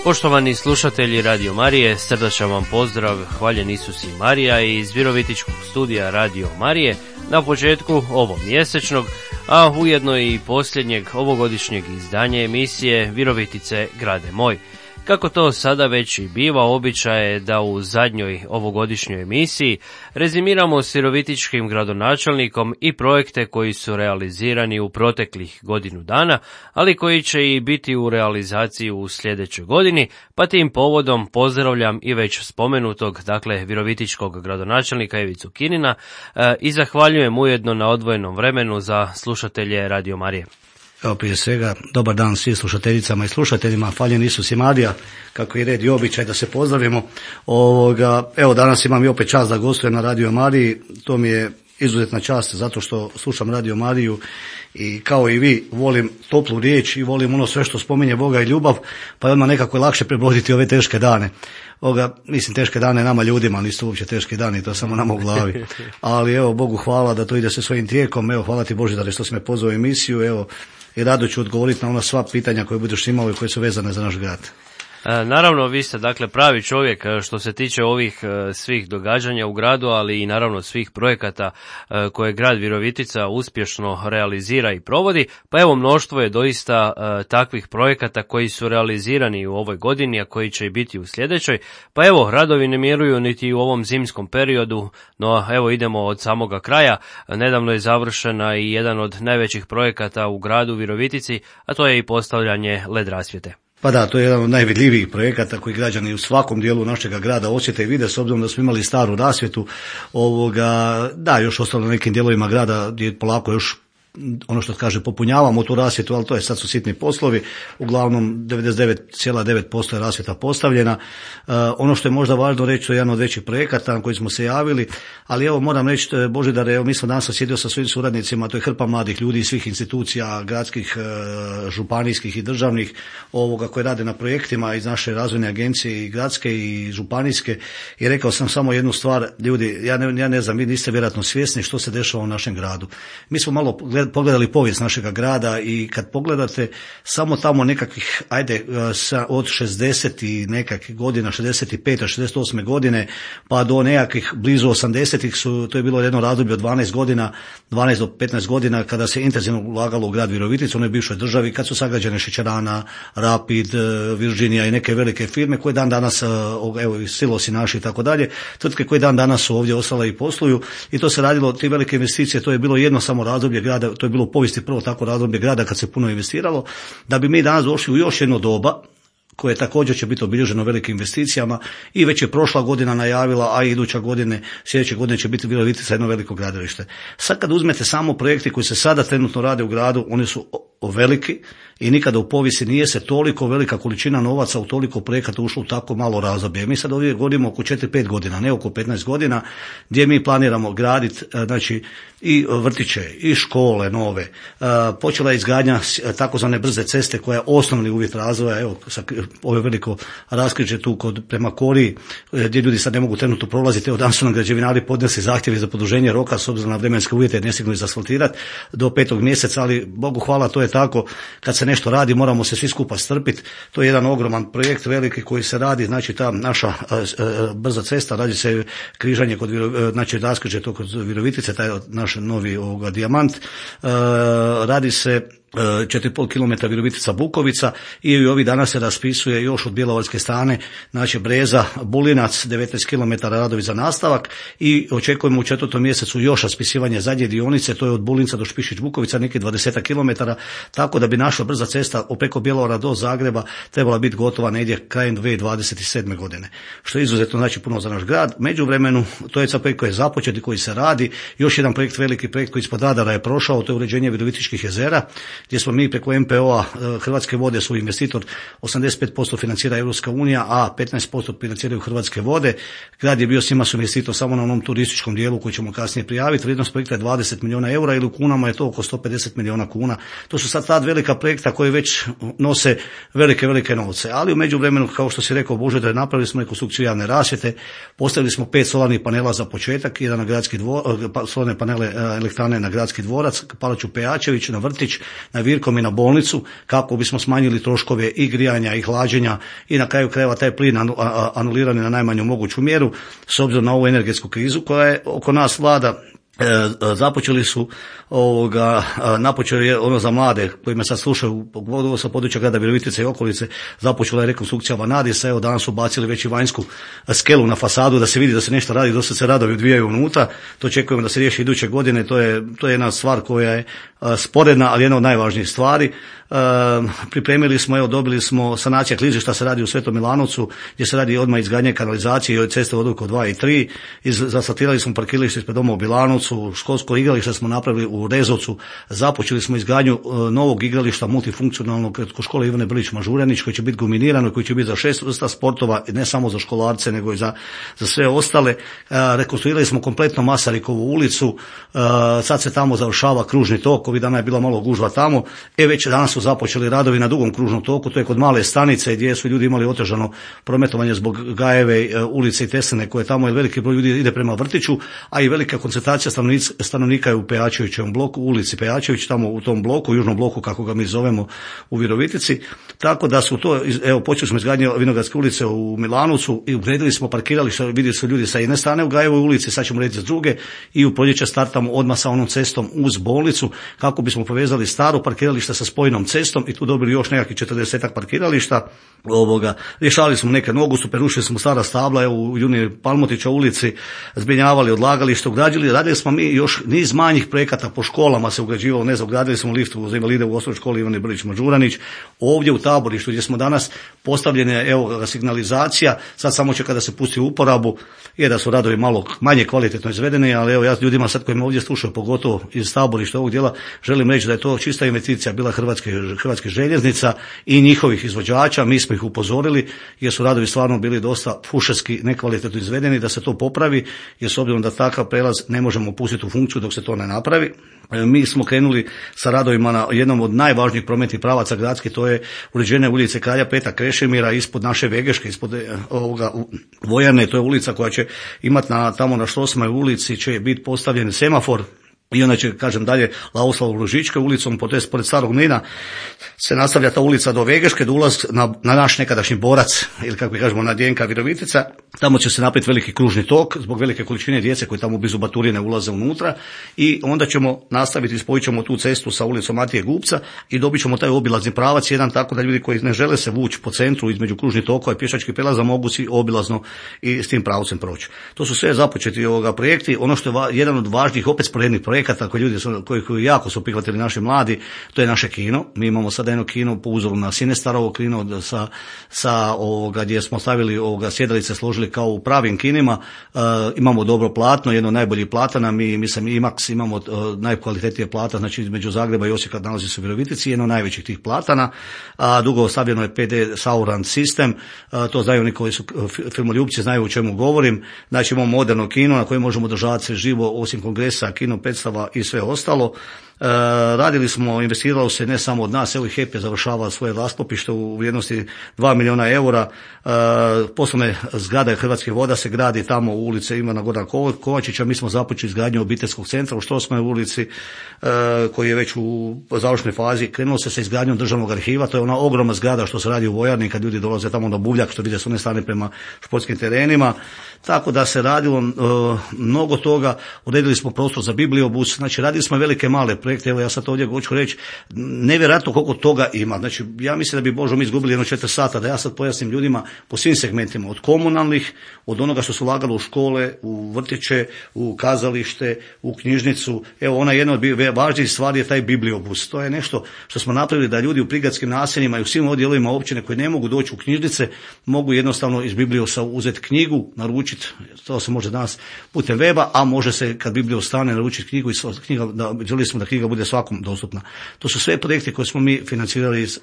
Poštovani slušatelji Radio Marije, srdačan vam pozdrav, hvaljen Isus i Marija iz Virovitičkog studija Radio Marije na početku ovog mjesečnog, a ujedno i posljednjeg ovogodišnjeg izdanja emisije Virovitice grade moj. Kako to sada već i biva, običaj je da u zadnjoj ovogodišnjoj emisiji rezimiramo s virovitičkim gradonačelnikom i projekte koji su realizirani u proteklih godinu dana, ali koji će i biti u realizaciji u sljedećoj godini, pa tim povodom pozdravljam i već spomenutog, dakle, virovitičkog gradonačelnika Ivicu Kinina i zahvaljujem ujedno na odvojenom vremenu za slušatelje Radio Marije. Evo, prije svega, dobar dan svim slušateljicama i slušateljima, hvaljen Isus i Marija, kako je red i običaj da se pozdravimo. Evo, danas imam i opet čast da gostujem na Radio Mariji, to mi je izuzetna čast zato što slušam Radio Mariju i kao i vi volim toplu riječ i volim ono sve što spominje Boga i ljubav, pa je odmah nekako lakše prebroditi ove teške dane. Mislim, teške dane nama ljudima, nisu uopće teški dani, to samo nama u glavi. Ali evo, Bogu hvala da to ide se svojim tijekom, evo, hvala ti Božidare što si me pozvao u emisiju, evo, i rado ću odgovoriti na ona sva pitanja koje budeš imao i koje su vezane za naš grad. Naravno, vi ste dakle pravi čovjek što se tiče ovih svih događanja u gradu, ali i naravno svih projekata koje grad Virovitica uspješno realizira i provodi, pa evo mnoštvo je doista takvih projekata koji su realizirani u ovoj godini, a koji će i biti u sljedećoj, pa evo radovi ne miruju niti u ovom zimskom periodu, no evo idemo od samoga kraja. Nedavno je završena i jedan od najvećih projekata u gradu Virovitici, a to je i postavljanje LED rasvjete. Pa da, to je jedan od najvidljivijih projekata koji građani u svakom dijelu našega grada osjete i vide, s obzirom da smo imali staru rasvjetu, da, još ostalo na nekim dijelovima grada gdje polako još ono što kaže popunjavamo tu rasvjetu, ali to je sad su sitni poslovi, uglavnom 99,9% je rasvjeta postavljena. Ono što je možda važno reći, to je jedan od većih projekata na koji smo se javili, ali evo moram reći, Božidare, evo mi smo danas sjedio sa svojim suradnicima, to je hrpa mladih ljudi iz svih institucija, gradskih, županijskih i državnih, koji rade na projektima iz naše razvojne agencije i gradske i županijske, i rekao sam samo jednu stvar, ljudi, ja ne znam, vi niste vjerojatno svjesni što se dešava u našem gradu. Mi smo malo pogledali povijest našega grada i kad pogledate samo tamo nekakvih, od 60 i nekakvih godina, 65. 68. godine, pa do nekakvih blizu 80-ih to je bilo jedno razdoblje od 12 do 15 godina kada se intenzivno ulagalo u grad Viroviticu, onoj bivšoj državi, kad su sagrađene šećerana, Rapid, Virginia i neke velike firme koje dan danas, evo, silosi naši i tako dalje, tvrtke koje dan danas su ovdje ostale i posluju, i to se radilo, ti velike investicije, to je bilo jedno samo razdoblje grada, to je bilo u povijesti prvo tako razdoblje grada kad se puno investiralo, da bi mi danas došli u još jedno doba koje također će biti obilježeno velikim investicijama, i već je prošla godina najavila, a i iduća godine, sljedeće godine će biti Virovitica jedno veliko gradilište. Sad kad uzmete samo projekte koji se sada trenutno rade u gradu, oni su veliki i nikada u povijesti nije se toliko velika količina novaca u toliko projekata ušlo u tako malo razdoblje. Mi sad ovdje govorimo oko 4-5 godina, ne oko 15 godina, gdje mi planiramo graditi, znači, i vrtiće, i škole nove. Počela je izgradnja takozvane brze ceste koja je osnovni uvjet razvoja, evo, ovo je veliko raskrižje tu prema Koriji, gdje ljudi sad ne mogu trenutno prolaziti. Evo, danas su nam građevinari podnesli zahtjevi za produženje roka s obzirom na vremenske uvjete, ne stignu izasfaltirati do 5. mjeseca, ali Bogu hvala, to je tako, kad se nešto radi moramo se svi skupa strpiti. To je jedan ogroman projekt veliki koji se radi, znači ta naša brza cesta, radi se križanje znači raskrižje to kod Virovitice, taj naš novi dijamant, radi se 4,5 km Virovitica Bukovica, i ovih dana se raspisuje još od bjelovarske strane, znači Breza Bulinac 19 km radovi za nastavak, i očekujemo u 4. mjesecu još raspisivanje zadnje dionice, to je od Bulinca do Špišić Bukovica neki 20 km, tako da bi naša brza cesta preko Bjelovara do Zagreba trebala biti gotova negdje krajem 2027. godine, što je izuzetno znači puno za naš grad. Međuvremenu, to je projekt koji je započet i koji se radi, još jedan projekt, veliki projekt koji ispod radara je prošao, to je uređenje Virovitičkih jezera. gdje smo mi preko MPO-a, Hrvatske vode su investitor, 85% financira Europska unija, a 15% financiraju Hrvatske vode. Grad je bio s njima su investitor samo na onom turističkom dijelu koji ćemo kasnije prijaviti. Vrijednost projekta je 20 milijuna eura ili u kunama je to oko 150 milijuna kuna. To su sad ta velika projekta koji već nose velike novce. Ali u međuvremenu, kao što si rekao Božidar, napravili smo rekonstrukciju javne rasvjete, postavili smo 5 solarnih panela za početak, jedan na gradski solarne panele elektrane na Gradski dvorac, Palaču Pejačević, na vrtić, na Virkom i na bolnicu, kako bismo smanjili troškove i grijanja i hlađenja i na kraju krajeva taj plin anulirani na najmanju moguću mjeru s obzirom na ovu energetsku krizu koja je oko nas vlada. Započeli su napočeli je ono za mlade koji me sad slušaju pogotovo sa područja grada Virovitice i okolice, započela je rekonstrukcija Vanadisa, evo danas su bacili već i vanjsku skelu na fasadu da se vidi da se nešto radi, dosta se radovi odvijaju unutra, to očekujemo da se riješi iduće godine, to je jedna stvar koja je sporedna, ali jedna od najvažnijih stvari. Pripremili smo, dobili smo sanacija klizišta se radi u Svetom Milanovcu, gdje se radi odmah izgradnje kanalizacije i od ceste odluke 2 i 3, zasfaltirali smo parkiralište ispred doma u Bilanovcu, školsko igralište smo napravili u Rezovcu, započeli smo izgradnju novog igrališta multifunkcionalnog kod škole Ivane Brlić-Mažuranić koji će biti guminirano i koji će biti za 6 vrsta sportova, ne samo za školarce nego i za sve ostale. Rekonstruirali smo kompletno Masarikovu ulicu, sad se tamo završava kružni tok, ovih dana je bila malo gužva tamo, već danas su započeli radovi na dugom kružnom toku, to je kod Male Stanice gdje su ljudi imali otežano prometovanje zbog Gajeve ulice i Tesline koje tamo je veliki broj ljudi ide prema vrtiću, a i velika koncentracija stanovnika je u Pejačevićevom bloku, ulici Pejačević, tamo u tom bloku, južnom bloku kako ga mi zovemo u Virovitici, tako da su to, počeli smo izgradnje Vinogradske ulice u Milanovcu i ugradili smo parkiralište, vidjeli su ljudi sa jedne strane u Gajevoj ulici, sad ćemo rediti s druge i u proljeće startamo odmah sa onom cestom uz bolnicu kako bismo povezali staro parkiralište sa spojnom cestom i tu dobili još nekakvih 40 parkirališta. Rješavali smo neke nogustu, prerušili smo stara stabla u Juni Palmotića ulici, zbrinjavali odlagalište, radili smo mi još niz manjih projekata po školama se ugrađivalo, ugradili smo lift za invalide u osnovnoj školi Ivane Brlić-Mažuranić, ovdje u taborištu gdje smo danas postavljene signalizacija, sad samo čeka da se pusti u uporabu, je da su radovi malo manje kvalitetno izvedeni, ali ja ljudima sad koji me ovdje slušaju, pogotovo iz taborišta ovog dijela, želim reći da je to čista investicija bila Hrvatske željeznica i njihovih izvođača, mi smo ih upozorili jer su radovi stvarno bili dosta fušerski nekvalitetno izvedeni, da se to popravi, jer s obzirom da takav prelaz ne možemo pustiti u funkciju dok se to ne napravi. Mi smo krenuli sa radovima na jednom od najvažnijih prometnih pravaca gradskih, to je uređenje ulice Kralja Petra Krešimira ispod naše Vegeške, ispod vojarne, to je ulica koja će imati tamo na Štrosmaj ulici će biti postavljen semafor. I onda će, kažem dalje, Lauslav Ružička ulicom, pored Starog Mlina se nastavlja ta ulica do Vegeške, do ulaz na naš nekadašnji Borac, ili kako kažemo na Djenka Virovitica. Tamo će se napraviti veliki kružni tok, zbog velike količine djece koji tamo blizu Baturine ulaze unutra i onda ćemo nastaviti, spojit ćemo tu cestu sa ulicom Matije Gupca i dobit ćemo taj obilazni pravac, jedan tako da ljudi koji ne žele se vući po centru između kružnih tokova i pješačkih prelaza mogu si obilazno i s tim pravcem proći. To su sve započeti projekti. Ono što je jedan od važnijih opet sporednih projekata koji jako su prihvatili naši mladi, to je naše kino. Mi imamo sada jedno kino po uzoru na Sinestarovo kino gdje smo stavili sjedalice složili kao u pravim kinima. Imamo dobro platno, jedno od najboljih platana, mislim IMAX imamo najkvalitetnije plata, znači između Zagreba i Osijeka nalazi se u Virovitici, jedno od najvećih tih platana. Dugo stavljeno je PD Sound System, to znaju oni koji su filmoljubci, znaju o čemu govorim. Znači imamo moderno kino na kojem možemo održavati sve živo, osim kongresa, kino predstava i sve ostalo. Radili smo, investiralo se ne samo od nas, evo i HEP je završava svoje raspopište u vrijednosti 2 milijuna eura. Poslovne zgrade Hrvatskih voda se gradi tamo u ulici Ivana Gorana Kovačića. Mi smo započeli izgradnju obiteljskog centra u Štrosmaj ulici koji je već u završnoj fazi. Krenulo se sa izgradnjom državnog arhiva, to je ona ogromna zgrada što se radi u vojarni kad ljudi dolaze tamo na Buvljak, što vide s one strane prema športskim terenima. Tako da se radilo mnogo toga, odredili smo prostor za bibliobus, znači radili smo velike male projekte, evo ja sad ovdje hoću reći, nevjerojatno koliko toga ima, znači ja mislim da bi Božo mi izgubili 4 sata, da ja sad pojasnim ljudima po svim segmentima, od komunalnih, od onoga što su ulagalo u škole, u vrtiće, u kazalište, u knjižnicu, evo ona jedna od važnijih stvari je taj bibliobus, to je nešto što smo napravili da ljudi u prigradskim naseljima i u svim odjelima općine koji ne mogu doći u knjižnice, mogu jednostavno iz bibliosa uzeti knjigu, naručiti, to se može danas putem weba, a može se kad biblios stane naručiti knjigu i knjiga, želi smo da knjiga knjiga bude svakom dostupna. To su sve projekte koje smo mi financirali iz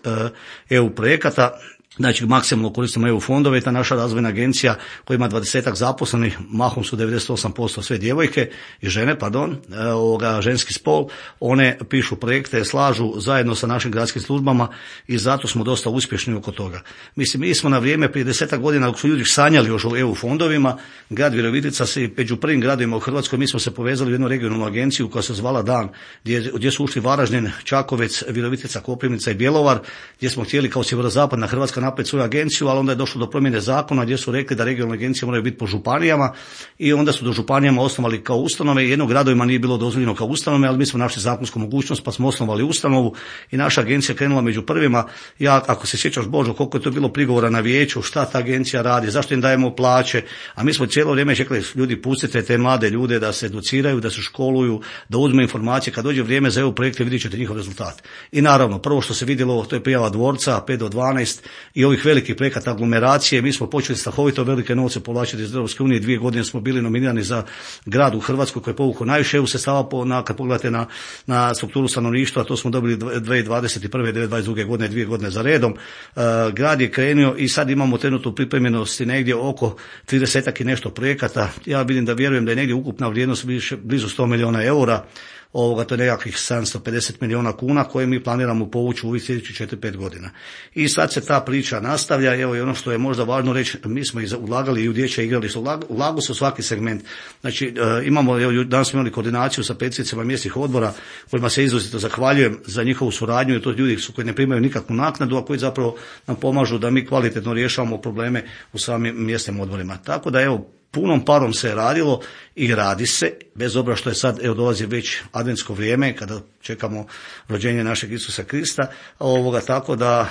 EU projekata. Znači, maksimalno koristimo EU fondove i ta naša razvojna agencija koja ima 20-ak zaposlenih, mahom su 98% sve djevojke i žene, ženski spol, one pišu projekte, slažu zajedno sa našim gradskim službama i zato smo dosta uspješni oko toga. Mislim, mi smo na vrijeme prije 10 godina, dok su ljudi sanjali još o EU fondovima, grad Virovitica se među prvim gradovima u Hrvatskoj, mi smo se povezali u jednu regionalnu agenciju koja se zvala Dan, gdje su ušli Varaždin, Čakovec, Virovitica, Koprivnica i Bjelovar, gdje smo htjeli kao sjeverozapadna Hrvatska napraviti svoju agenciju, ali onda je došlo do promjene zakona gdje su rekli da regionalne agencije moraju biti po županijama i onda su do županijama osnovali kao ustanove. Jedno gradovima nije bilo dozvoljeno kao ustanove, ali mi smo našli zakonsku mogućnost pa smo osnovali ustanovu i naša agencija krenula među prvima. Ja, ako se sjećaš Božo, koliko je to bilo prigovora na vijeću, šta ta agencija radi, zašto im dajemo plaće, a mi smo cijelo vrijeme čekali, ljudi pustite te mlade ljude da se educiraju, da se školuju, da uzme informacije, kad dođe vrijeme za EU projekte vidjet ćete njihov rezultat. I naravno, prvo što se vidjelo, to je prijava dvorca 5 do 12 i ovih velikih projekata aglomeracije. Mi smo počeli strahovito velike novce povlačiti iz Europske unije. 2 godine smo bili nominirani za grad u Hrvatskoj koji je povukao najviše EU sredstava kad pogledate na strukturu stanovništva, to smo dobili 2021. 2022. godine, 2 godine za redom. Grad je krenuo i sad imamo trenutnu pripremljenosti negdje oko 30 i nešto projekata. Ja vjerujem da je negdje ukupna vrijednost blizu 100 milijuna eura. To je nekakvih 750 milijuna kuna koje mi planiramo povući u ovih sljedećih 4-5 godina. I sad se ta priča nastavlja. Evo i ono što je možda važno reći, mi smo ulagali i u dječje igralište, ulagu se u svaki segment. Znači danas smo imali koordinaciju sa predsjednicima mjesnih odbora kojima se izrazito zahvaljujem za njihovu suradnju, jer to ljudi su koji ne primaju nikakvu naknadu, a koji zapravo nam pomažu da mi kvalitetno rješavamo probleme u samim mjesnim odborima. Tako da punom parom se radilo i radi se, bez obzira što je sad, dolazi već adventsko vrijeme kada čekamo rođenje našeg Isusa Krista, tako da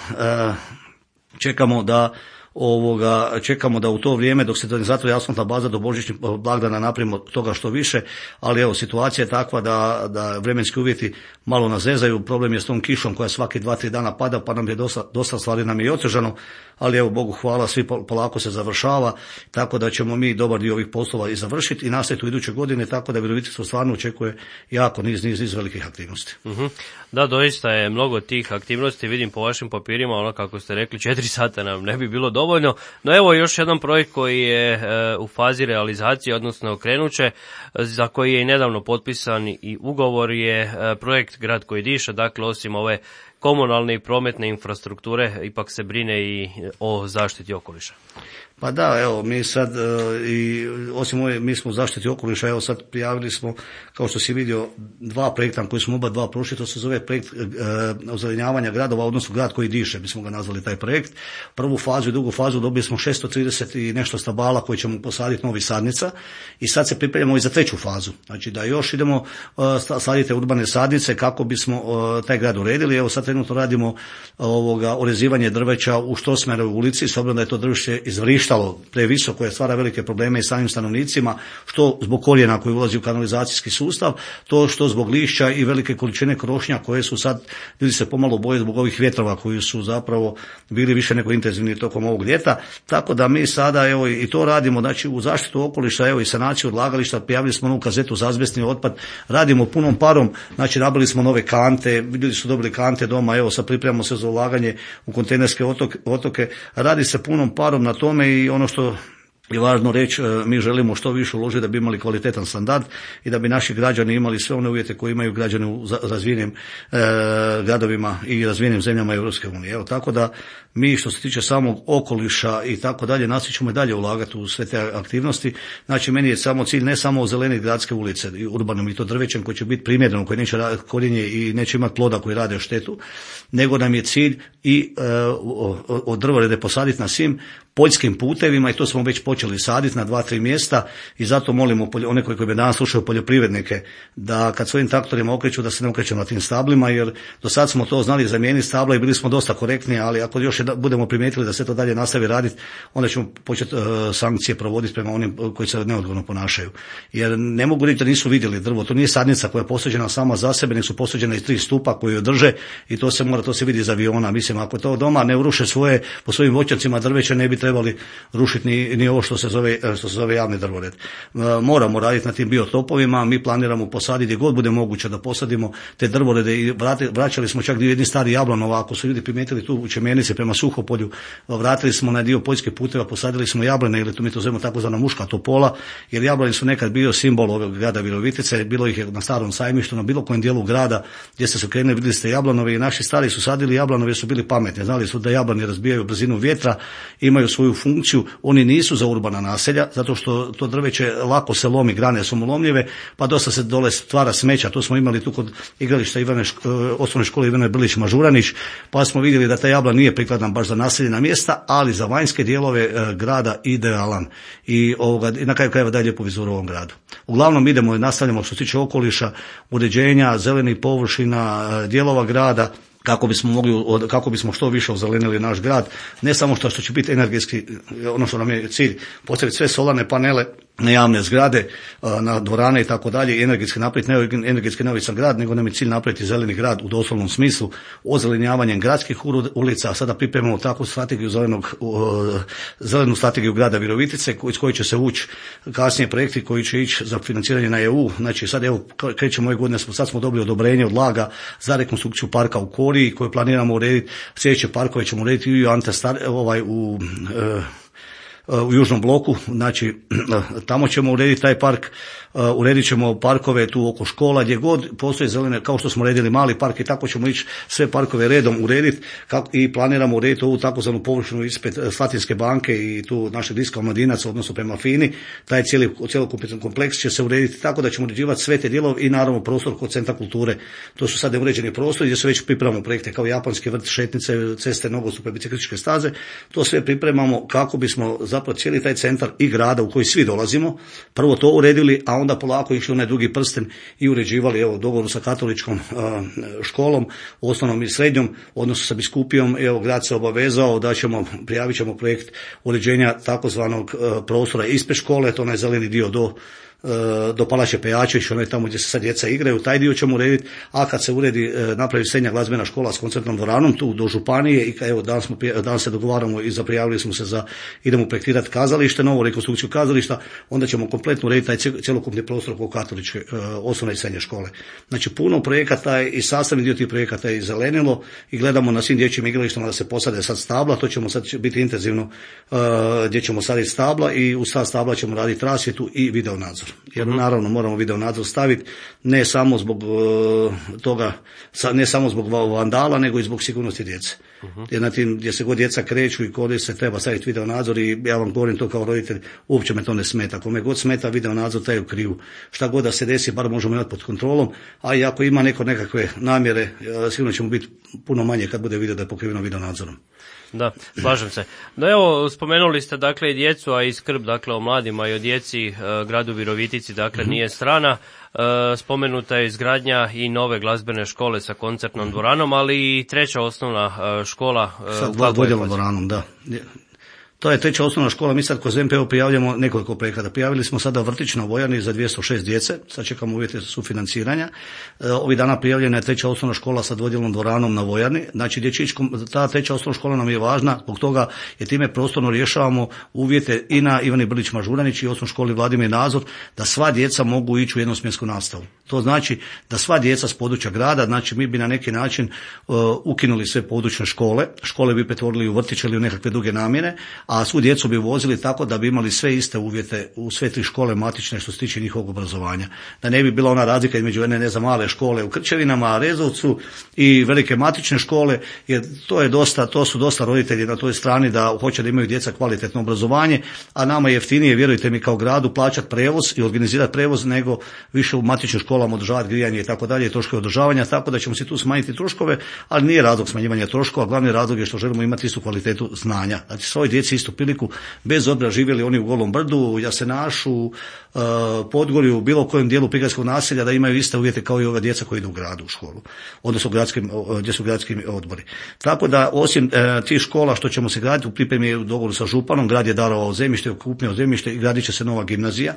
čekamo da u to vrijeme dok se ne zatvori asfaltna baza do božićnih blagdana napravimo toga što više, ali situacija je takva da vremenski uvjeti malo nas zezaju. Problem je s tom kišom koja svaki 2-3 dana pada, pa nam je dosta stvari nam je i otežano, ali Bogu hvala, svi polako se završava, tako da ćemo mi dobar dio ovih poslova i završiti i nastaviti u iduće godine, tako da Virovitica stvarno očekuje jako niz velikih aktivnosti. Mm-hmm. Da, doista je mnogo tih aktivnosti, vidim po vašim papirima, kako ste rekli, 4 sata nam ne bi bilo dovoljno, no evo još jedan projekt koji je u fazi realizacije, odnosno krenuće, za koji je i nedavno potpisan i ugovor, je projekt Grad koji diše. Dakle, osim ove komunalne i prometne infrastrukture, ipak se brine i o zaštiti okoliša. Pa da, mi sad, osim mi smo u zaštiti okoliša, sad prijavili smo, kao što si vidio, 2 projekta koji smo oba 2 prošli, to se zove projekt ozelenjavanja gradova, odnosno Grad koji diše, mi smo ga nazvali taj projekt. Prvu fazu i drugu fazu dobili smo 630 i nešto stabala koje ćemo posaditi novih sadnica i sad se pripremamo i za 3. fazu. Znači da još idemo saditi urbane sadnice kako bismo taj grad uredili. Evo sad trenutno radimo orezivanje drveća u Štrosmajerovoj ulici, s obzirom da je to drveće izvrištalo previsoko, je stvara velike probleme i samim stanovnicima, što zbog korijena koji ulazi u kanalizacijski sustav, to što zbog lišća i velike količine krošnja koje su sad, ljudi se pomalo boje zbog ovih vjetrova koji su zapravo bili više nego intenzivni tokom ovog ljeta, tako da mi sada i to radimo, znači u zaštitu okoliša, i sanaciju odlagališta, prijavili smo novu kazetu za azbestni otpad, radimo punom parom, znači nabili smo nove kante, ljudi su dobili kante doma, sad pripremamo se za ulaganje u kontejnerske otoke, radi se punom parom na tome i ono što je važno reći, mi želimo što više uložiti da bi imali kvalitetan standard i da bi naši građani imali sve one uvjete koje imaju građani u razvijenim gradovima i razvijenim zemljama Europske unije. Tako da mi što se tiče samog okoliša i tako dalje, nastavit ćemo i dalje ulagati u sve te aktivnosti. Znači meni je samo cilj ne samo ozeleniti gradske ulice i urbanom i to drvećem koji će biti primjereno, koji neće korijenje i neće imati ploda koji rade štetu, nego nam je cilj i od drvorede posaditi na svim poljskim putevima i to smo već počeli saditi na 2-3 mjesta i zato molimo one koji me danas slušaju poljoprivrednike da kad svojim traktorima okreću da se ne okreću na tim stablima, jer do sad smo to znali zamijeniti stabla i bili smo dosta korektni, ali ako još budemo primijetili da se to dalje nastavi raditi, onda ćemo početi sankcije provoditi prema onim koji se neodgovorno ponašaju. Jer ne mogu reći da nisu vidjeli drvo, to nije sadnica koja je posađena sama za sebe, nego su posađena iz 3 stupa koji joj drže i to se vidi iz aviona. Mislim, ako to doma ne uruše po svojim voćnjacima drveće, ne bi trebali rušiti ni ovo što se zove javni drvored. Moramo raditi na tim biotopovima, mi planiramo posaditi gdje god bude moguće da posadimo te drvorede i vraćali smo čak dio jedni stari jablanova, ako su ljudi primijetili tu u Čemenici prema Suhopolju, vratili smo na dio poljskih puteva, posadili smo jablane, ili mi to zovemo takozvana muška topola, jer jablani su nekad bio simbol ovog grada Virovitice, bilo ih je na starom sajmištu, na bilo kojem dijelu grada gdje ste se krenuli, vidjeli ste jablanove i naši stari su sadili jablanove, su bili pametni, znali su da jablani razbijaju brzinu vjetra, imaju svoju funkciju, oni nisu za urbana naselja, zato što to drveće lako se lomi, grane su mu lomljive, pa dosta se dole stvara smeća, to smo imali tu kod igrališta osnovne škole Ivane Brlić Mažuranić, pa smo vidjeli da taj jablan nije prikladan baš za naseljena mjesta, ali za vanjske dijelove grada idealan i na kraju krajeva daje lijepu vizuru u ovom gradu. Uglavnom idemo i nastavljamo što se tiče okoliša, uređenja, zelenih površina, dijelova grada, kako bismo što više ozelenili naš grad, ne samo što će biti energetski, ono što nam je cilj, postaviti sve solarne panele na javne zgrade, na dvorane i tako dalje, i energetski neovisan grad, nego nam je cilj napraviti zeleni grad u doslovnom smislu, ozelenjavanjem gradskih ulica. Sada pripremamo takvu strategiju zelenu strategiju grada Virovitice, iz koje će se ući kasnije projekti koji će ići za financiranje na EU. Znači sad evo krećemo ove godine, sad smo dobili odobrenje od LAG-a za rekonstrukciju parka u Koriji koje planiramo urediti. Sljedeće parkove ćemo urediti i u južnom bloku, znači tamo ćemo urediti taj park, uredit ćemo parkove tu oko škola, gdje god postoje zelene, kao što smo uredili mali park, i tako ćemo ići sve parkove redom urediti i planiramo urediti ovu takozvanu površinu ispred Slatinske banke i tu našeg diska Omladinaca, odnosno prema FINI. Taj cjelokupni kompleks će se urediti tako da ćemo uređivati sve te dijelove i naravno prostor kod Centra kulture. To su sad neuređeni prostori gdje se već pripremamo projekte kao japanski vrt, šetnice, ceste, nogostupe, biciklističke staze. To sve pripremamo kako bismo zapravo cijeli taj centar i grada u koji svi dolazimo prvo to uredili, a onda polako išli onaj drugi prsten i uređivali, evo, dogovoru sa katoličkom školom, osnovnom i srednjom, odnosno sa biskupijom. Evo, grad se obavezao da prijavit ćemo projekt uređenja takozvanog prostora ispred škole, to onaj zeleni dio do Palače Pejačević, onaj tamo gdje se sad djeca igraju, taj dio ćemo urediti, a kad se uredi napravi srednja glazbena škola s koncertnom dvoranom tu do županije, i evo danas se dogovaramo i prijavili smo se idemo projektirati kazalište, novu rekonstrukciju kazališta, onda ćemo kompletno urediti taj cjelokupni prostor oko katoličke osnovne i srednje škole. Znači puno projekata i sastavni dio tih projekata je zelenilo i gledamo na svim dječjim igralištima da se posade sad stabla, to ćemo sad biti intenzivno gdje ćemo saditi stabla i uz ta stabla ćemo raditi rasvjetu i video nadzor. Jer naravno moramo video nadzor staviti ne samo zbog toga, ne samo zbog vandala, nego i zbog sigurnosti djece. Jer na tim gdje se god djeca kreću i koriste treba staviti video nadzor, i ja vam govorim to kao roditelj, uopće me to ne smeta. Ako me god smeta video nadzor, taj je u krivu. Šta god da se desi, bar možemo imati pod kontrolom, a i ako ima nekakve namjere, sigurno ćemo biti puno manje kad bude video da je pokriveno video nadzorom. Da, slažem se. No evo, spomenuli ste dakle i djecu, a i skrb dakle o mladima i o djeci gradu Virovitici, dakle nije strana. Spomenuta je izgradnja i nove glazbene škole sa koncertnom dvoranom, ali i treća osnovna škola. Sa dvodjelnom dvoranom, da. To je treća osnovna škola, mi sad kroz MPO prijavljamo nekoliko projekata. Prijavili smo sada vrtić na Vojani za 206 djece, sad čekamo uvjete sufinanciranja. Ovih dana prijavljena je treća osnovna škola sa dvodjelnom dvoranom na Vojani. Znači, ta treća osnovna škola nam je važna zbog toga jer time prostorno rješavamo uvjete i na Ivani Brlić Mažuranić i osnovnoj školi Vladimir Nazor da sva djeca mogu ići u jednosmjensku nastavu. To znači da sva djeca s područja grada, znači mi bi na neki način ukinuli sve područne škole bi pretvorili u vrtiće ili u nekakve druge namjene, a svu djecu bi vozili tako da bi imali sve iste uvjete u sve tri škole matične što se tiče njihovog obrazovanja. Da ne bi bila ona razlika između male škole u Krčevinama, Rezovcu i velike matične škole, jer to su dosta roditelji na toj strani da hoće da imaju djeca kvalitetno obrazovanje, a nama je jeftinije, vjerujte mi, kao gradu plaćati prevoz i organizirati prevoz nego više u matičnim školama održavati grijanje i tako dalje, troškove održavanja, tako da ćemo si tu smanjiti troškove, ali nije razlog smanjivanja troškova, glavni razlog je što želimo imati istu kvalitetu znanja. Znači svoj djeci istu priliku, bez obzira živjeli oni u Golom brdu, Jasenašu, Podgorju, bilo kojem dijelu prigradskog naselja, da imaju iste uvjete kao i ova djeca koji idu u gradu u školu, odnosno gdje su gradski odbori. Tako da osim tih škola što ćemo se graditi, u pripremi u dogovoru sa županom, grad je darovao zemljište, okupnio zemljište i gradit će se nova gimnazija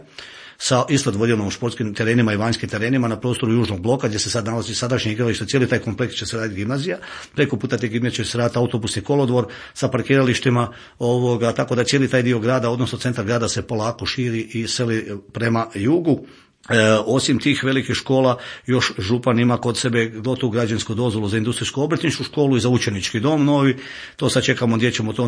sa isto dvodijelom športskim terenima i vanjskim terenima na prostoru južnog bloka gdje se sad nalazi sadašnje igralište, cijeli taj kompleks će se raditi gimnazija, preko puta te gimnazije će se raditi autobusni kolodvor sa parkiralištima, tako da cijeli taj dio grada, odnosno centar grada se polako širi i seli prema jugu. Osim tih velikih škola, još župan ima kod sebe gotovu građevinsku dozvolu za industrijsku obrtničku školu i za učenički dom novi. To sad čekamo gdje ćemo to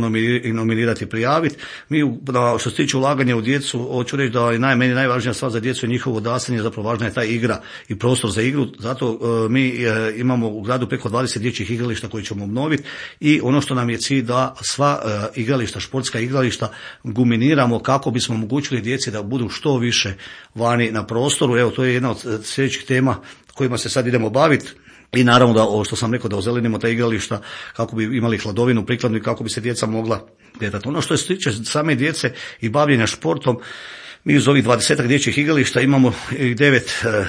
nominirati i prijaviti. Mi, što se tiče ulaganja u djecu, hoću reći da je meni najvažnija stvar za djecu je njihovo odrastanje, zapravo važna je ta igra i prostor za igru. Zato mi imamo u gradu preko 20 dječjih igrališta koje ćemo obnoviti i ono što nam je cilj da sva igrališta, športska igrališta guminiramo kako bismo omogućili djeci da budu što više vani na prostoru. Evo, to je jedna od sljedećih tema kojima se sad idemo baviti. I naravno da, ovo što sam rekao, da ozelenimo ta igrališta kako bi imali hladovinu prikladnu i kako bi se djeca mogla kretati. Ono što se tiče same djece i bavljenja športom, mi uz ovih 20 dječjih igrališta imamo i 9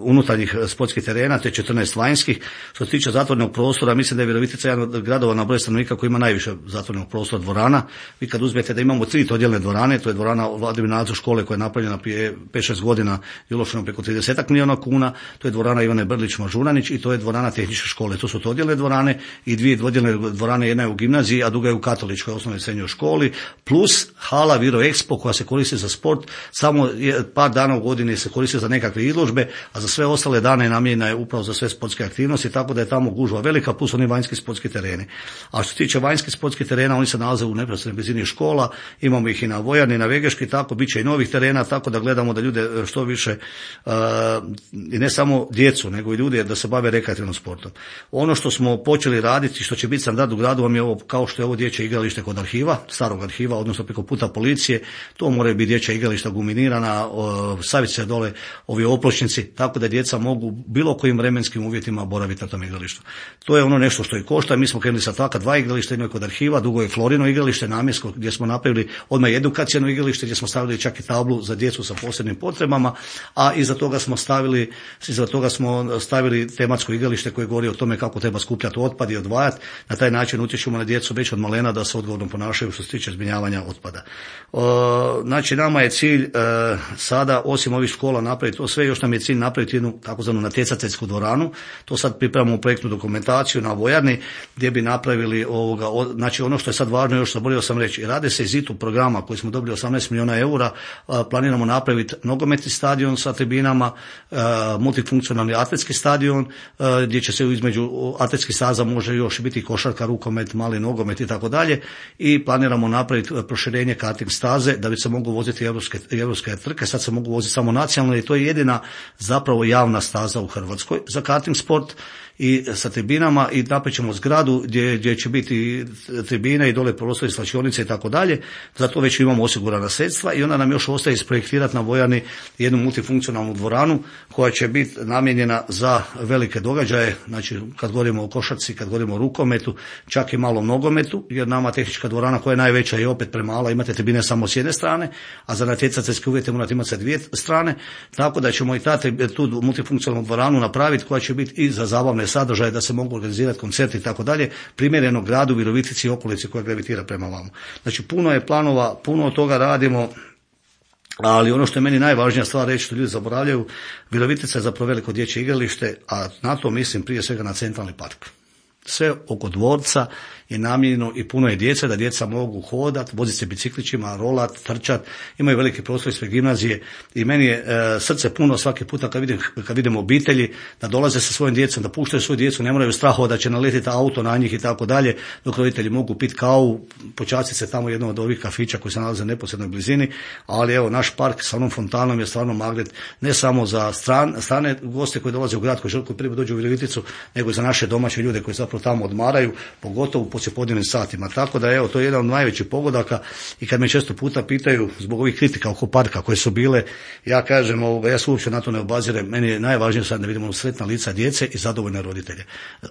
unutarnjih sportskih terena, te 14 vanjskih. Što se tiče zatvorenog prostora, mislim da je Virovitica jedan od gradova na broj stanovnika koji ima najviše zatvorenog prostora dvorana. Vi kad uzmete da imamo 3 odjelne dvorane, to je dvorana Vladimir Nazor škole koja je napravljena prije 5-6 godina i uloženo preko 30 milijuna kuna, to je dvorana Ivane Brlić-Mažuranić i to je dvorana tehničke škole. To su odjelne dvorane i 2 odjelne dvorane, jedna je u gimnaziji, a druga je u katoličkoj osnovnoj i srednjoj školi, plus hala Viro Expo koja se koristi za sport, samo par dana u godini se koristi za nekakve izložbe, a za sve ostale dane namijenjena je upravo za sve sportske aktivnosti, tako da je tamo gužva velika, plus oni vanjski sportski tereni. A što se tiče vanjskih sportskih terena, oni se nalaze u neposrednoj blizini škola, imamo ih i na Vojarni, na Vegeški, tako bit će i novih terena, tako da gledamo da ljude što više, i ne samo djecu, nego i ljude da se bave rekreativnim sportom. Ono što smo počeli raditi, što će biti standard u gradu, vam je ovo, kao što je ovo dječje igralište kod arhiva, starog arhiva, odnosno preko puta policije, to moraju biti dječja igrališta guminirana, staviti se dole ovi opločnici, tako da djeca mogu bilo kojim vremenskim uvjetima boraviti na tom igralištu. To je ono nešto što i košta. Mi smo krenuli sa taka 2 igrališta, jedno je kod arhiva, drugo je Florino igralište namjensko, gdje smo napravili odmah edukacijno igralište, gdje smo stavili čak i tablu za djecu sa posebnim potrebama, a iza toga smo stavili tematsko igralište koje govori o tome kako treba skupljati otpad i odvajati. Na taj način utječemo na djecu već od malena da se odgovorno ponašaju što se tiče zbrinjavanja otpada. Znači, nama je cilj sada, osim ovih škola, napraviti to sve, još nam je cilj napraviti jednu takozvanu natjecateljsku dvoranu. To sad pripremamo projektnu dokumentaciju na Vojarni, gdje bi napravili znači ono što je sad važno, još zaboravio sam reći, rade se iz ITU programa koji smo dobili 18 milijuna eura, planiramo napraviti nogometni stadion sa tribinama, multifunkcionalni atletski stadion, gdje će se između atletskih staza može još biti košarka, rukomet, mali nogomet i tako dalje, i planiramo napraviti proširenje karting staze da bi se mogu voziti europske trke. Sad se mogu voziti samo nacionalno i to je jedina zapravo javna staza u Hrvatskoj za karting sport i sa tribinama, i napravit ćemo zgradu gdje će biti tribine i dole prostori, slačionice i tako dalje. Zato već imamo osigurana sredstva i onda nam još ostaje isprojektirati na Vojarni jednu multifunkcionalnu dvoranu koja će biti namijenjena za velike događaje, znači kad govorimo o košarci, kad govorimo o rukometu, čak i malom nogometu, jer nama tehnička dvorana koja je najveća je opet premala, imate tribine samo s jedne strane, a za natjecateljske uvjete morate imati sa 2 strane, tako da ćemo i tu multifunkcionalnu dvoranu napraviti koja će biti i za zabavne sadržaje, da se mogu organizirati koncerti i tako dalje, primjereno gradu Virovitici i okolici koja gravitira prema vama. Znači, puno je planova, puno od toga radimo, ali ono što je meni najvažnija stvar reći, što ljudi zaboravljaju, Virovitica je zapravo veliko dječje igralište, a na to mislim prije svega na centralni park. Sve oko dvorca je namijenjeno i puno je djece, da djeca mogu hodati, voziti se biciklićima, rolat, trčat, imaju veliki prostor ispred gimnazije i meni je srce puno svaki puta kad vidim obitelji da dolaze sa svojim djecom, da puštaju svoju djecu, ne moraju strahovati da će naletiti auto na njih i tako dalje, dok roditelji mogu piti kavu, počastiti se tamo jednom od ovih kafića koji se nalaze u neposrednoj blizini, ali evo, naš park sa onom fontanom je stvarno magnet ne samo za strane goste koji dolaze u grad, koji prije dođu u Viroviticu, nego i za naše domaće ljude koji zapravo tamo odmaraju, pogotovo u poslijepodnevnim satima. Tako da evo, to je jedan od najvećih pogodaka, i kad me često puta pitaju zbog ovih kritika oko parka koje su bile, ja kažem, ja se uopće na to ne obazirem, meni je najvažnije sad da vidimo sretna lica djece i zadovoljne roditelje.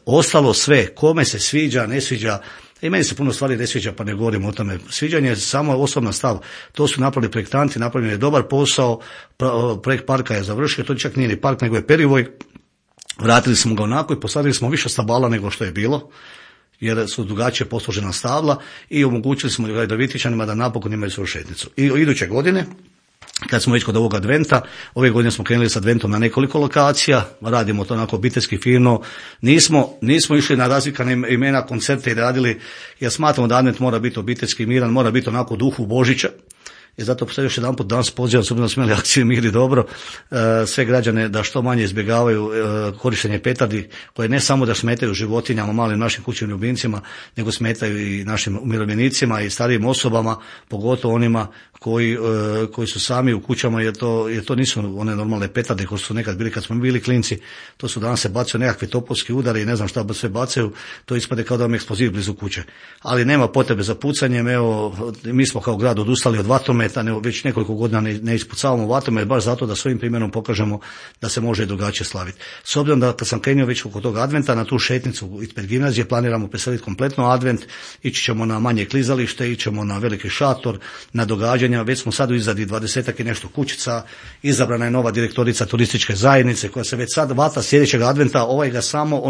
Ostalo sve, kome se sviđa, ne sviđa, i meni se puno stvari ne sviđa, pa ne govorim o tome. Sviđanje je samo osobna stav. To su napravili projektanti, napravljen je dobar posao, projekt parka je završio, to čak nije ni park, nego je perivoj. Vratili smo ga onako i posadili smo više stabala nego što je bilo, jer su drugačije posložena stabla, i omogućili smo Virovitičanima da napokon imaju svoju šetnicu. I iduće godine kad smo već kod ovog adventa, ove godine smo krenuli s adventom na nekoliko lokacija, radimo to onako obiteljski fino, nismo išli na razvikane imena, koncerte i radili, jer smatramo da advent mora biti obiteljski miran, mora biti onako u duhu Božića. I zato sad još jedan put danas pozivam, s obzirom da smo imali akciju Mir i dobro, sve građane da što manje izbjegavaju korištenje petardi, koje ne samo da smetaju životinjama, malim našim kućnim ljubimcima, nego smetaju i našim umirovljenicima i starijim osobama, pogotovo onima koji su sami u kućama, jer to nisu one normalne petarde koje su nekad bili kad smo bili klinci. To su danas se bacaju nekakvi topovski udari i ne znam šta sve bacaju, to ispade kao da vam eksploziv blizu kuće. Ali nema potrebe za pucanjem, evo, mi smo kao grad odustali od vatrometa, već nekoliko godina ne ispucavamo vatromet, baš zato da svojim primjerom pokažemo da se može i drugačije slaviti. S obzirom da kad sam krenuo već oko tog adventa, na tu šetnicu ispred gimnazije planiramo preseliti kompletno advent, ići ćemo na manje klizalište, ići ćemo na veliki šator, na događanja, već smo sad u izradi 20 i nešto kućica, izabrana je nova direktorica turističke zajednice koja se već sad vata sljedećeg adventa, ovaj ga samo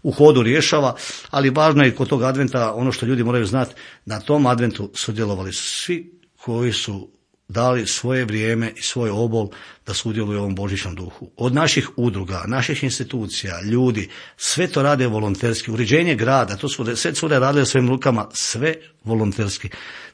u hodu rješava, ali važno je kod tog adventa ono što ljudi moraju znati, na tom adventu sudjelovali su svi koji su dali svoje vrijeme i svoj obol da sudjeluju u ovom božićnom duhu. Od naših udruga, naših institucija, ljudi, sve to rade volonterski. Uređenje grada, to su sve cure radile svojim rukama, sve volonterski.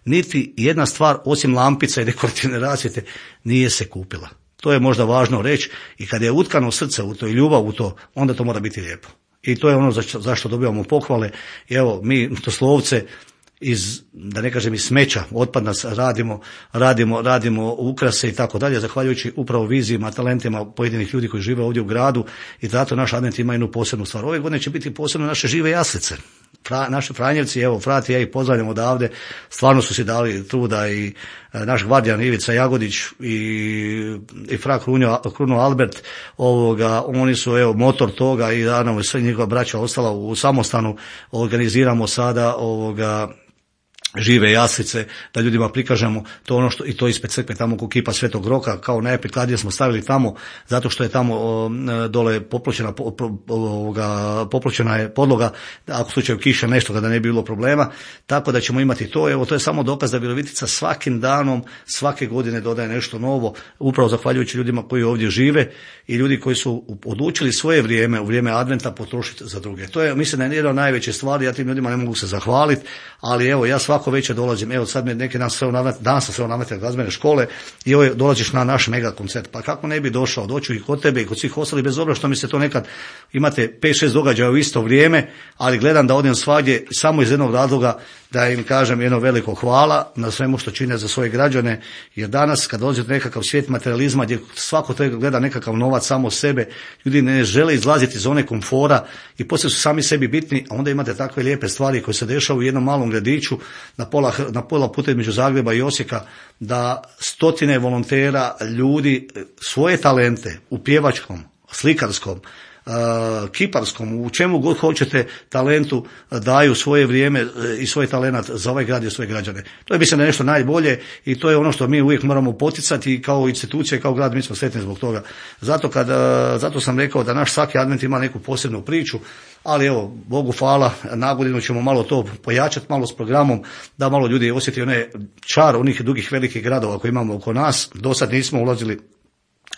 Niti jedna stvar, osim lampica i dekorativne rasvjete, nije se kupila. To je možda važno reći i kad je utkano srce u to i ljubav u to, onda to mora biti lijepo. I to je ono zašto dobivamo pohvale. I evo, mi doslovce da ne kažem iz smeća, otpada radimo ukrase i tako dalje, zahvaljujući upravo vizijima, talentima pojedinih ljudi koji žive ovdje u gradu i zato naš advent ima jednu posebnu stvar. Ove godine će biti posebno naše žive jaslice. Naši Franjevci, evo Frati, ja ih pozdravljam odavde, stvarno su si dali truda i naš gvardijan Ivica Jagodić i fra Kruno Albert, oni su evo motor toga i naravno sve njihova braća ostala u samostanu, organiziramo sada žive jaslice, da ljudima prikažemo to ono što i to ispred crkve tamo oko kipa Svetog Roka, kao najprikladnije smo stavili tamo, zato što je tamo dole popločena je podloga, ako u slučaju kiše nešto da ne bi bilo problema, tako da ćemo imati to. Evo, to je samo dokaz da Virovitica svakim danom, svake godine dodaje nešto novo, upravo zahvaljujući ljudima koji ovdje žive i ljudi koji su odlučili svoje vrijeme, u vrijeme adventa potrošiti za druge. To je, mislim, da je jedna od najveće stvari, ja tim ljudima ne mogu se zahvaliti, ali evo, ja svako večer dolazim, evo sad me neki dan danas sam sve nametio glazbene škole i evo dolaziš na naš mega koncert, pa kako ne bi došao, doću i kod tebe i kod svih ostalih, bez obzira što mi se to nekad, imate 5-6 događaja u isto vrijeme, ali gledam da odem svagdje samo iz jednog razloga da im kažem jedno veliko hvala na svemu što čine za svoje građane, jer danas kad dolazite nekakav svijet materializma gdje svako to gleda nekakav novac samo sebe, ljudi ne žele izlaziti iz zone komfora i poslije su sami sebi bitni, a onda imate takve lijepe stvari koje se dešavaju u jednom malom gradiću na pola puta između Zagreba i Osijeka, da stotine volontera, ljudi svoje talente u pjevačkom, slikarskom, kiparskom, u čemu god hoćete talentu daju svoje vrijeme i svoj talent za ovaj grad i svoje građane. To je mislim da je nešto najbolje i to je ono što mi uvijek moramo poticati i kao institucija i kao grad, mi smo sretni zbog toga. Zato sam rekao da naš svaki advent ima neku posebnu priču, ali evo, Bogu hvala, nagodinu ćemo malo to pojačati, malo s programom, da malo ljudi osjeti onaj čar onih drugih velikih gradova koje imamo oko nas. Do sad nismo ulazili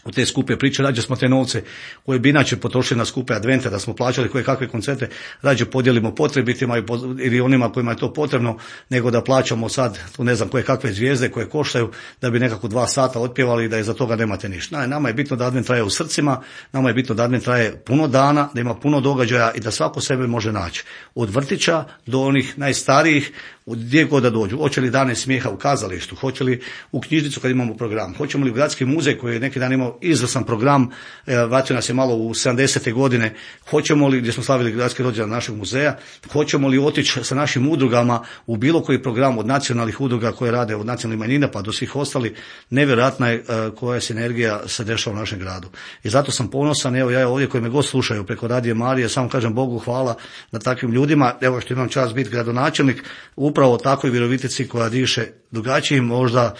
u te skupe priče, rađe smo te novce koje bi inače potrošili na skupe advente, da smo plaćali koje kakve koncerte, rađe podijelimo potrebitima ili onima kojima je to potrebno, nego da plaćamo sad, tu ne znam, koje kakve zvijezde koje koštaju, da bi nekako 2 sata otpjevali i da iza toga nemate ništa. Nama je bitno da advent traje u srcima, nama je bitno da advent traje puno dana, da ima puno događaja i da svako sebe može naći. Od vrtića do onih najstarijih, gdje god da dođu. Hoće li dane smijeha u kazalištu, hoće li u knjižnicu kad imamo program, hoćemo li u gradski muzej koji je neki dan imao izvrstan program, vratio nas je malo u 70. godine, hoćemo li, gdje smo slavili gradski rođendan našeg muzeja, hoćemo li otići sa našim udrugama u bilo koji program od nacionalnih udruga koje rade od nacionalnih manjina pa do svih ostali, nevjerojatna je koja sinergija se dešava u našem gradu. I zato sam ponosan, evo ja ovdje koji me god slušaju preko Radio Marije, samo kažem Bogu hvala na takvim ljudima, evo što imam čast biti gradonačelnik, upravo takvoj Virovitici koja diše drugačijim možda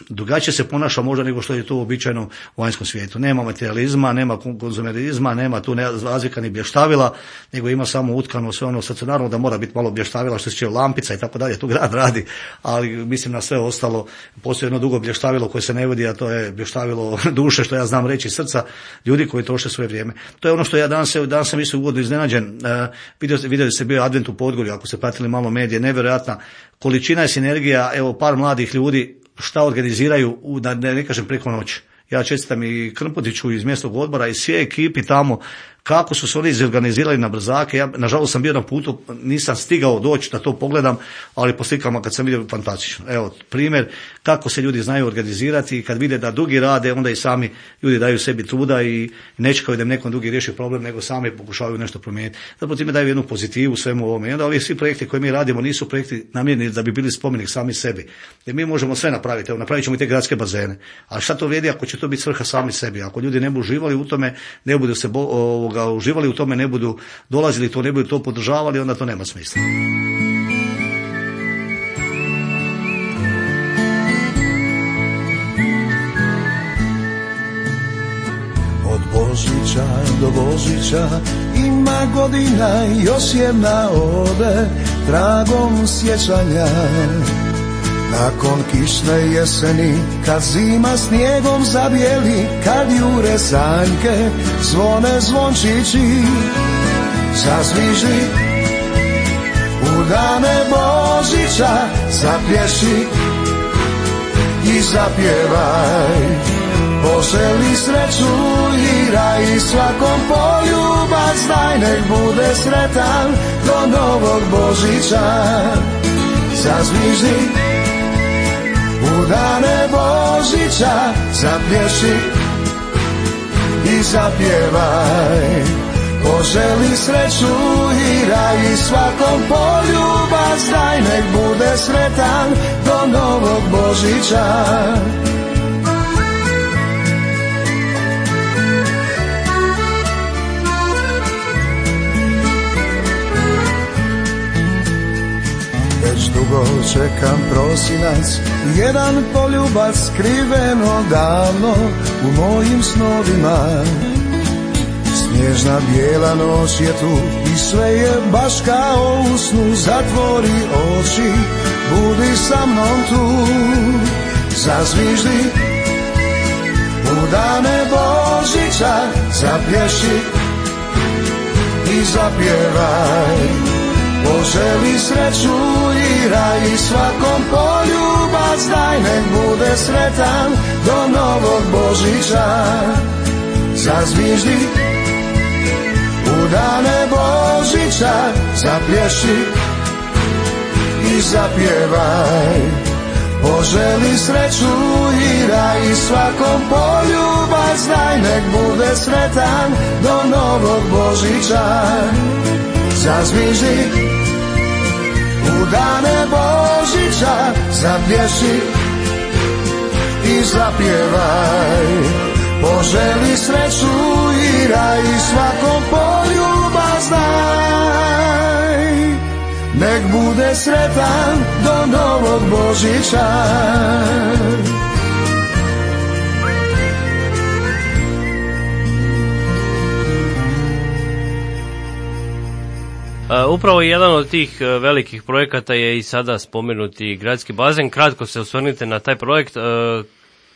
drugačije se ponaša možda nego što je to uobičajeno u vanjskom svijetu. Nema materializma, nema konzumerizma, nema tu razvika ni blještavila, nego ima samo utkano sve ono, sad naravno da mora biti malo blještavila što se tiče lampica i tako dalje, tu grad radi, ali mislim na sve ostalo. Postoji jedno dugo blještavilo koje se ne vidi, a to je blještavilo duše, što ja znam reći, srca ljudi koji troše svoje vrijeme. To je ono što ja danas sam isto ugodno iznenađen. Vidio se bio Advent u Podgorju, ako ste pratili malo medije, nevjerojatna količina i sinergija, evo par mladih ljudi šta organiziraju, da ne kažem preko noći. Ja čestitam i Krmputiću iz mjesnog odbora i sve ekipi tamo, kako su se oni izorganizirali na brzake. Ja, nažalost, sam bio na putu, nisam stigao doći da to pogledam, ali po slikama kad sam vidio, fantastično. Evo, primjer kako se ljudi znaju organizirati i kad vide da drugi rade, onda i sami ljudi daju sebi truda i ne čekaju da im nekom drugi riješi problem, nego sami pokušavaju nešto promijeniti. Zapravo time daju jednu pozitivu svemu ovome. I onda ovi svi projekti koje mi radimo nisu projekti namijenjeni da bi bili spomenik sami sebi. Jer mi možemo sve napraviti. Evo, napravit ćemo i te gradske bazene. A šta to vrijedi ako će to biti svrha sami sebi? Ako ljudi ne budu uživali u tome, ne budu se uživali u tome, ne budu dolazili to, ne budu to podržavali, onda to nema smisla. Od Božića do Božića ima godina, još jedna ode tragom sjećanja. Nakon kišne jeseni, kad zima snijegom zabijeli, kad jure sanjke, zvone zvončići, zazviži u dane Božića, zapješi i zapjevaj. Poželi sreću i raj, svakom poljubac daj, nek bude sretan do novog Božića, zazviži u dane Božića, zapješi i zapjevaj. Poželi sreću i raj, svakom poljubac daj, nek bude sretan do novog Božića. Dugo čekam prosinac, jedan poljubac skriven odavno u mojim snovima. Snježna bijela noć je tu i sve je baš kao u snu. Zatvori oči, budi sa mnom tu, zazviždi u dane Božića, zapješi i zapjevaj. Poželi sreću i raj, svakom poljubac daj, nek bude sretan do novog Božića, zazviždi u dane Božića, zapješi i zapjevaj. Poželi sreću i raj, svakom poljubac daj, nek bude sretan do novog Božića, zazviždi u dane Božića, zapješi i zapjevaj. Poželi sreću i raj, svakom poljubac daj, nek bude sretan do novog Božića. Upravo jedan od tih velikih projekata je i sada spomenuti gradski bazen. Kratko se osvrnite na taj projekt,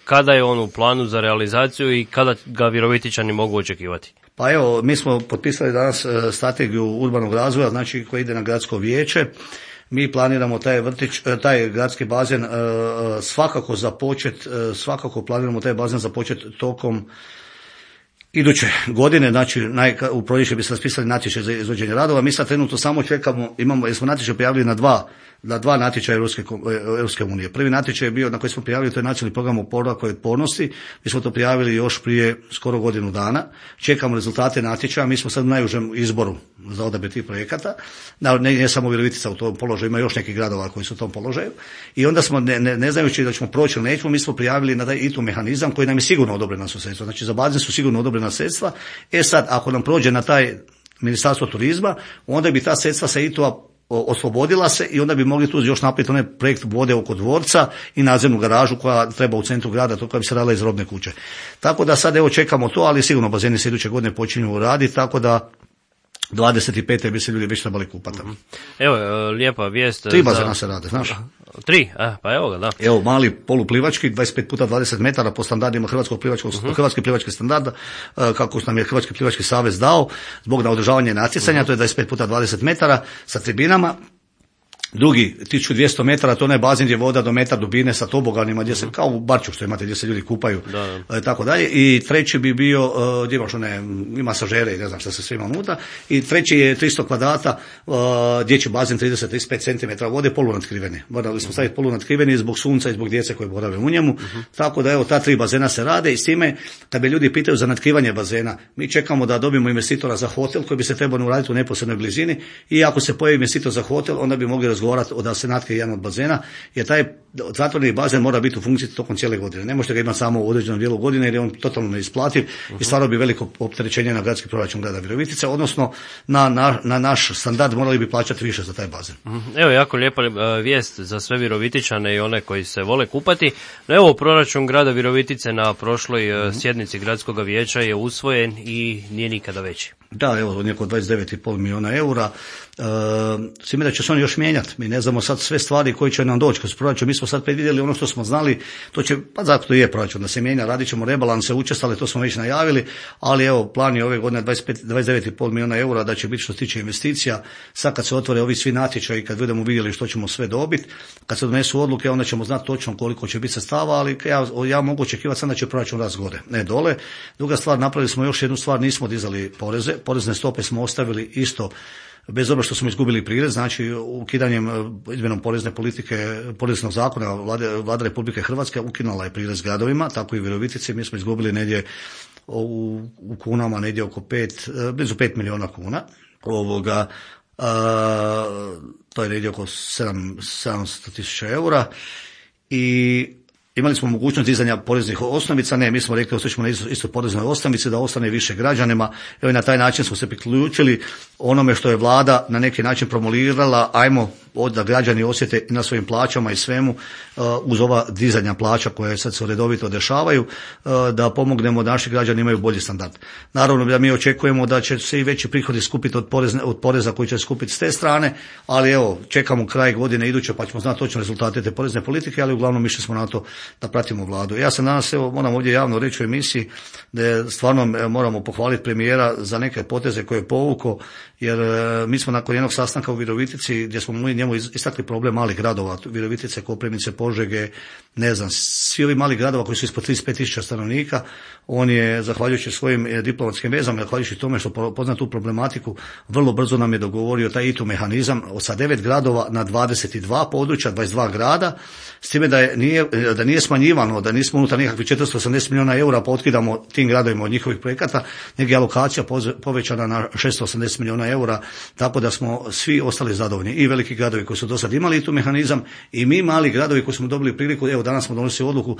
kada je on u planu za realizaciju i kada ga Virovitičani mogu očekivati? Pa evo, mi smo potpisali danas strategiju urbanog razvoja, znači koji ide na gradsko vijeće. Mi planiramo taj gradski bazen svakako planiramo taj bazen započeti tokom iduće godine, znači u proljeće bi se raspisali natječaj za izvođenje radova. Mi sad trenutno samo čekamo, jer smo natječaj prijavili na dva natječaja Europske unije. Prvi natječaj je bio na koji smo prijavili, to je nacionalni program oporavka i otpornosti. Mi smo to prijavili još prije skoro godinu dana. Čekamo rezultate natječaja. Mi smo sad u najužem izboru za odabir tih projekata. Ne samo Virovitica u tom položaju, ima još nekih gradova koji su u tom položaju. I onda smo, ne znajući da ćemo proći ili nećemo, mi smo prijavili na taj ITU mehanizam koji nam je sigurno odobrena su sredstva. Znači za bazen su sigurno odobrena sredstva. Sad, ako nam prođe na taj Ministarstvo turizma, onda bi ta sredstva sa ITU-a oslobodila se i onda bi mogli tu još napraviti onaj projekt vode oko dvorca i nadzemnu garažu koja treba u centru grada, to koja bi se radila iz robne kuće. Tako da sad evo čekamo to, ali sigurno bazeni se iduće godine počinju raditi, tako da 25. bi se ljudi već trebali kupati. Evo, lijepa vijest. 3 bazena se rade, znaš. 3, pa evo ga, da. Evo, mali poluplivački, 25 puta 20 metara po standardima Hrvatski plivački standard, kako nam je Hrvatski plivački savez dao, zbog održavanja natjecanja, to je 25 puta 20 metara sa tribinama. Drugi, 1200 metara, to je bazen gdje je voda do metar dubine sa toboganima, gdje se, kao u Barču što imate, gdje se ljudi kupaju, tako dalje. I treći bi bio, gdje imaš i masažere i ne znam šta se sve ima unutra. I treći je 300 kvadrata, dječji bazen 30-35 cm vode, polunatkriveni. Morali smo staviti polunatkriveni zbog sunca i zbog djece koje borave u njemu. Tako da evo, ta 3 bazena se rade i s time, kad bi ljudi pitaju za natkrivanje bazena, mi čekamo da dobijemo investitora za hotel koji bi se trebao uraditi u neposrednoj blizini i ako se pojavi investitor za hotel, onda bi mogli razgovarati da se natkrije jedan od bazena, jer taj zatvoreni bazen mora biti u funkciji tokom cijele godine. Ne možete ga imati samo u određenom dijelu godine jer je on totalno neisplativ i stvarno bi veliko opterećenje na gradski proračun grada Virovitice, odnosno na naš standard morali bi plaćati više za taj bazen. Evo, jako lijepa vijest za sve Virovitičane i one koji se vole kupati. Evo, proračun grada Virovitice na prošloj sjednici gradskog vijeća je usvojen i nije nikada veći. Da, evo, neko 29,5 milijuna eura. Svime da će se oni još mijenjati. Mi ne znamo sad sve stvari koji će nam doći kroz proračun. Mi smo sad predvidjeli ono što smo znali, to će, pa zato je proračun da se mijenja, radit ćemo rebalanse učestale, to smo već najavili, ali evo, plan je ove godine 29,5 milijuna eura da će biti što se tiče investicija. Sad kad se otvore ovi svi natječaji, kad budemo vidjeli što ćemo sve dobiti, kad se donesu odluke, onda ćemo znati točno koliko će biti sredstava, ali ja mogu očekivati sad da će proračun rast gore, ne dole. Druga stvar, napravili smo još jednu stvar, nismo dizali poreze, porezne stope smo ostavili isto, bez obzira što smo izgubili prirez, znači ukidanjem, izmjenom porezne politike, poreznog zakona Vlada Republike Hrvatske ukinula je prirez gradovima, tako i u Virovitici. Mi smo izgubili negdje u kunama negdje oko blizu 5 milijuna kuna. To je negdje oko 700.000 eura i imali smo mogućnost dizanja poreznih osnovica, ne, mi smo rekli ostaćemo na isto poreznoj osnovici da ostane više građanima. Evo i na taj način smo se priključili onome što je vlada na neki način promulirala, ajmo da građani osjete na svojim plaćama i svemu uz ova dizanja plaća koje sad se redovito dešavaju, da pomognemo da naši građani imaju bolji standard. Naravno da mi očekujemo da će se i veći prihodi skupiti od poreza koji će skupiti s te strane, ali evo čekamo kraj godine iduće pa ćemo znati točno rezultate te porezne politike, ali uglavnom mišli smo na to da pratimo vladu. Ja sam danas, evo, moram ovdje javno reći u emisiji da stvarno moramo pohvaliti premijera za neke poteze koje je povukao, jer mi smo nakon jednog sastanka u Virovitici gdje smo njemu istakli problem malih gradova, Virovitice, Koprivnice, Požege, ne znam, svi ovi mali gradova koji su ispod 35.000 stanovnika, on je, zahvaljujući svojim diplomatskim vezama, zahvaljujući tome što pozna tu problematiku, vrlo brzo nam je dogovorio taj ITU mehanizam sa 9 gradova na 22 područja, 22 grada, s time da nije smanjivano, da nismo unutar nekakvih 480 milijuna eura pa otkidamo tim gradovima od njihovih projekata, nego je alokacija povećana na 680 milijuna eura, tako da smo svi ostali zadovoljni, i veliki gradovi koji su do sad imali ITU mehanizam i mi mali gradovi koji smo dobili priliku, evo danas smo donosili odluku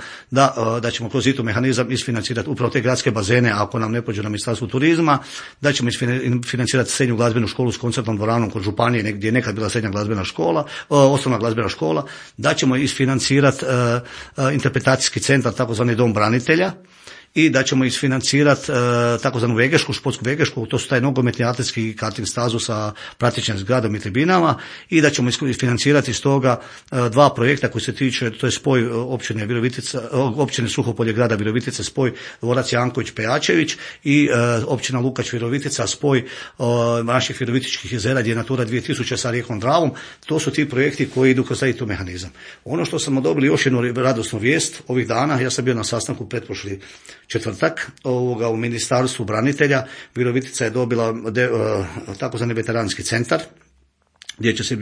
da ćemo kroz ITU mehanizam isfinancirati upravo te gradske bazene, ako nam ne pođe na Ministarstvu turizma, da ćemo isfinancirati srednju glazbenu školu s koncertnom dvoranom kod županije gdje je nekad bila srednja glazbena škola, osnovna glazbena škola, da ćemo isfinancirati interpretacijski centar, takozvani dom branitelja, i da ćemo isfinancirati takozvanu vegešku, športsku vegešku, to su taj nogometni, atletski i karting stazu sa pratećim zgradom i tribinama, i da ćemo isfinancirati iz toga 2 projekta koji se tiče, to je spoj općine Suhopolje grada Virovitice, spoj dvorac Janković Pejačević, i općina Lukač Virovitica, spoj naših virovitičkih jezera gdje je Natura 2000 sa rijekom Dravom. To su ti projekti koji idu kroz taj mehanizam. Ono što smo dobili još jednu radosnu vijest ovih dana, ja sam bio na sastanku pretprošli četvrtak u Ministarstvu branitelja. Virovitica je dobila takozvani veteranski centar gdje će se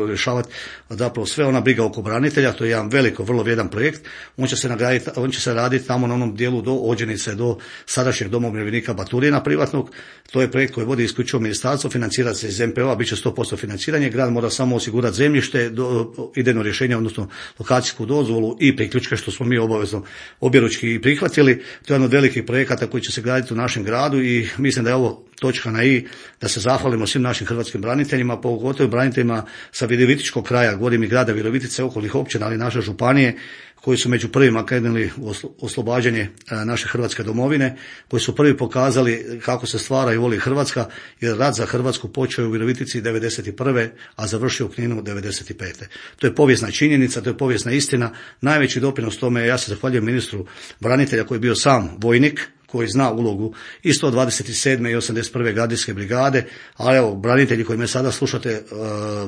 rješavati zapravo sve ona briga oko branitelja. To je jedan vrlo vrijedan projekt. On će se raditi tamo na onom dijelu do Ođenice, do sadašnjeg doma umirovljenika Baturina privatnog. To je projekt koji vodi isključivo ministarstvo, financira se iz MPO-a, bit će 100% financiranje. Grad mora samo osigurati zemljište, idejno rješenje, odnosno lokacijsku dozvolu i priključke, što smo mi obavezno objeručki prihvatili. To je jedan od velikih projekata koji će se graditi u našem gradu i mislim da je ovo točka na i da se zahvalimo svim našim hrvatskim braniteljima, pogotovo braniteljima sa virovitičkog kraja, govorim i grada Virovitice, okolnih općina, ali naše županije, koji su među prvima krenuli u oslobađanje naše Hrvatske domovine, koji su prvi pokazali kako se stvara i voli Hrvatska, jer rat za Hrvatsku počeo u Virovitici 1991. a završio u Kninu 1995. To je povijesna činjenica, to je povijesna istina. Najveći doprinos tome, ja se zahvaljujem ministru branitelja koji je bio sam vojnik, koji zna ulogu i 127. i 81. gardijske brigade, ali evo, branitelji koji me sada slušate,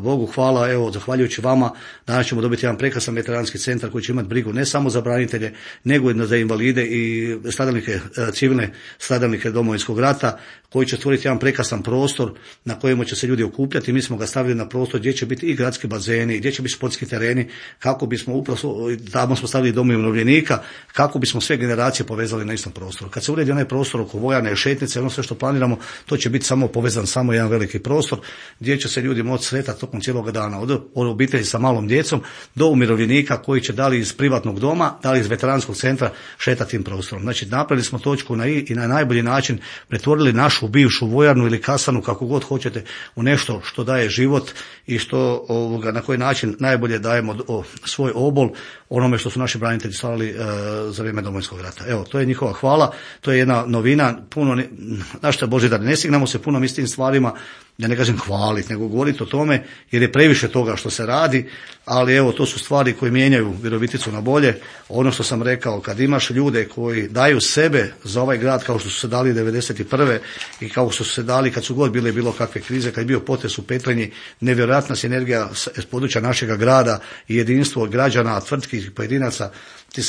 Bogu hvala, evo, zahvaljujući vama, danas ćemo dobiti jedan prekrasan veteranski centar koji će imati brigu ne samo za branitelje, nego i za invalide i stradalnike, civilne stradalnike Domovinskog rata, koji će stvoriti jedan prekrasan prostor na kojemu će se ljudi okupljati. Mi smo ga stavili na prostor gdje će biti i gradski bazeni, gdje će biti sportski tereni, kako bismo upravo, tamo smo stavili dom umirovljenika, kako bismo sve generacije povezali na istom prostoru. Kad se uredi onaj prostor oko vojarne, šetnice, ono sve što planiramo, to će biti samo povezan, samo jedan veliki prostor gdje će se ljudi moći sretati tokom cijelog dana, od obitelji sa malom djecom do umirovljenika koji će da li iz privatnog doma, da li iz veteranskog centra šetati tim prostorom. Znači, napravili smo točku na i na najbolji način pretvorili našu bivšu vojarnu ili kasanu, kako god hoćete, u nešto što daje život i što na koji način najbolje dajemo svoj obol onome što su naši branitelji stvarali za vrijeme Domovinskog rata. Evo, to je njihova hvala, to je jedna novina, puno, našta Božidar, ne stignemo se puno istim stvarima, ja ne kažem hvaliti, nego govoriti o tome, jer je previše toga što se radi, ali evo, to su stvari koje mijenjaju Viroviticu na bolje. Ono što sam rekao, kad imaš ljude koji daju sebe za ovaj grad, kao što su se dali 1991. i kao što su se dali kad su god bile bilo kakve krize, kad je bio potres u Petrinji, nevjerojatna sinergija s područja našega grada i jedinstvo građana, tvrtki i pojedinaca, ti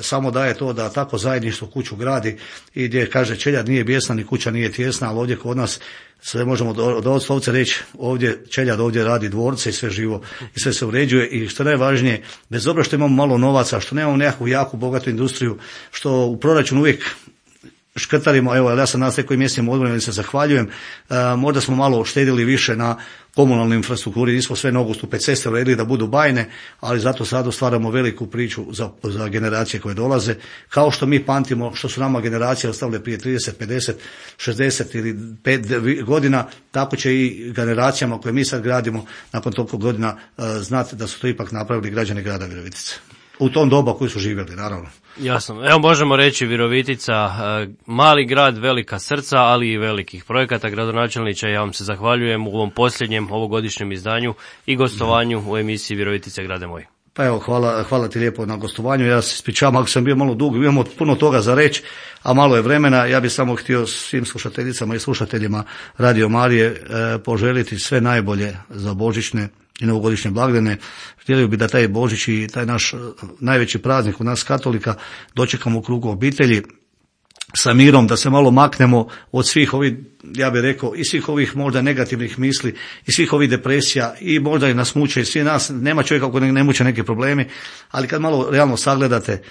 samo daje to da tako zajedništvo kuću gradi i gdje kaže čeljad nije bijesna ni kuća nije tijesna, ali ovdje kod nas sve možemo doslovce reći, ovdje čeljad ovdje radi dvorce i sve živo i sve se uređuje i što najvažnije, bez obzira što imamo malo novaca, što nemamo nekakvu jaku bogatu industriju, što u proračunu uvijek škrtarimo, evo, ja sam nas nekoji mjesnim odborom ili se zahvaljujem, možda smo malo štedili više na komunalnoj infrastrukturi, nismo sve nogostupe ceste uredili da budu bajne, ali zato sad stvaramo veliku priču za generacije koje dolaze, kao što mi pamtimo što su nama generacije ostavile prije 30, 50, 60 ili 5 godina, tako će i generacijama koje mi sad gradimo nakon toliko godina znati da su to ipak napravili građani grada Virovitice. U tom doba koji su živjeli, naravno. Jasno. Evo, možemo reći Virovitica, mali grad, velika srca, ali i velikih projekata. Gradonačelniče, ja vam se zahvaljujem u ovom posljednjem ovogodišnjem izdanju i gostovanju u emisiji Virovitice grade moj. Pa evo, hvala ti lijepo na gostovanju. Ja se ispričavam ako sam bio malo dug, imamo puno toga za reći, a malo je vremena. Ja bih samo htio svim slušateljicama i slušateljima Radio Marije poželiti sve najbolje za božićne i novogodišnje blagdane. Htjeli bi da taj Božić i taj naš najveći praznik u nas katolika dočekamo u krugu obitelji sa mirom, da se malo maknemo od svih ovih, ja bih rekao, i svih ovih možda negativnih misli i svih ovih depresija i možda i nas muče i svi nas, nema čovjeka koji ne muče neki problemi, ali kad malo realno sagledate,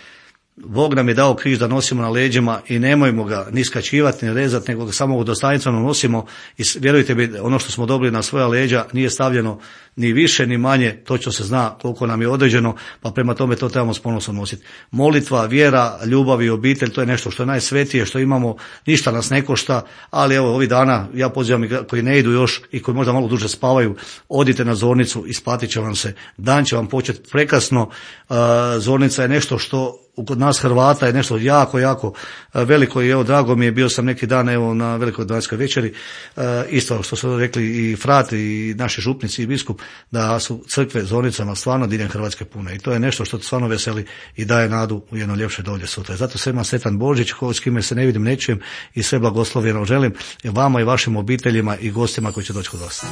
Bog nam je dao križ da nosimo na leđima i nemojmo ga ni skačivati ni rezati, nego ga samo dostojanstveno nosimo i vjerujte mi, ono što smo dobili na svoja leđa nije stavljeno ni više ni manje, točno se zna koliko nam je određeno, pa prema tome to trebamo s ponosom nositi. Molitva, vjera, ljubav i obitelj, to je nešto što je najsvetije, što imamo, ništa nas ne košta, ali evo ovih dana ja pozivam i koji ne idu još i koji možda malo duže spavaju, odite na zornicu, isplatit će vam se, dan će vam početi prekrasno. Zornica je nešto što kod nas Hrvata je nešto jako, jako veliko i evo drago mi je, bio sam neki dan evo na velikoj danskoj večeri, isto što su rekli i frat i naši župnici i biskup, da su crkve zornicama stvarno diljem Hrvatske pune i to je nešto što stvarno veseli i daje nadu u jedno ljepše dolje sutra. Zato svima sretan Božić, s kime se ne vidim, ne čujem i sve blagoslovljeno želim i vama i vašim obiteljima i gostima koji će doći kod vas.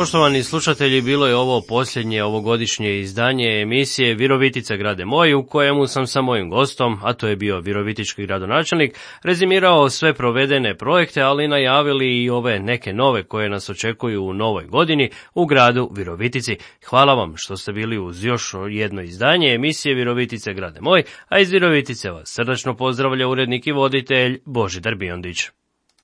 Poštovani slušatelji, bilo je ovo posljednje ovogodišnje izdanje emisije Virovitica grade moj, u kojemu sam sa mojim gostom, a to je bio virovitički gradonačelnik, rezimirao sve provedene projekte, ali najavili i ove neke nove koje nas očekuju u novoj godini u gradu Virovitici. Hvala vam što ste bili uz još jedno izdanje emisije Virovitice grade moj, a iz Virovitice vas srdačno pozdravlja urednik i voditelj Božidar Biondić.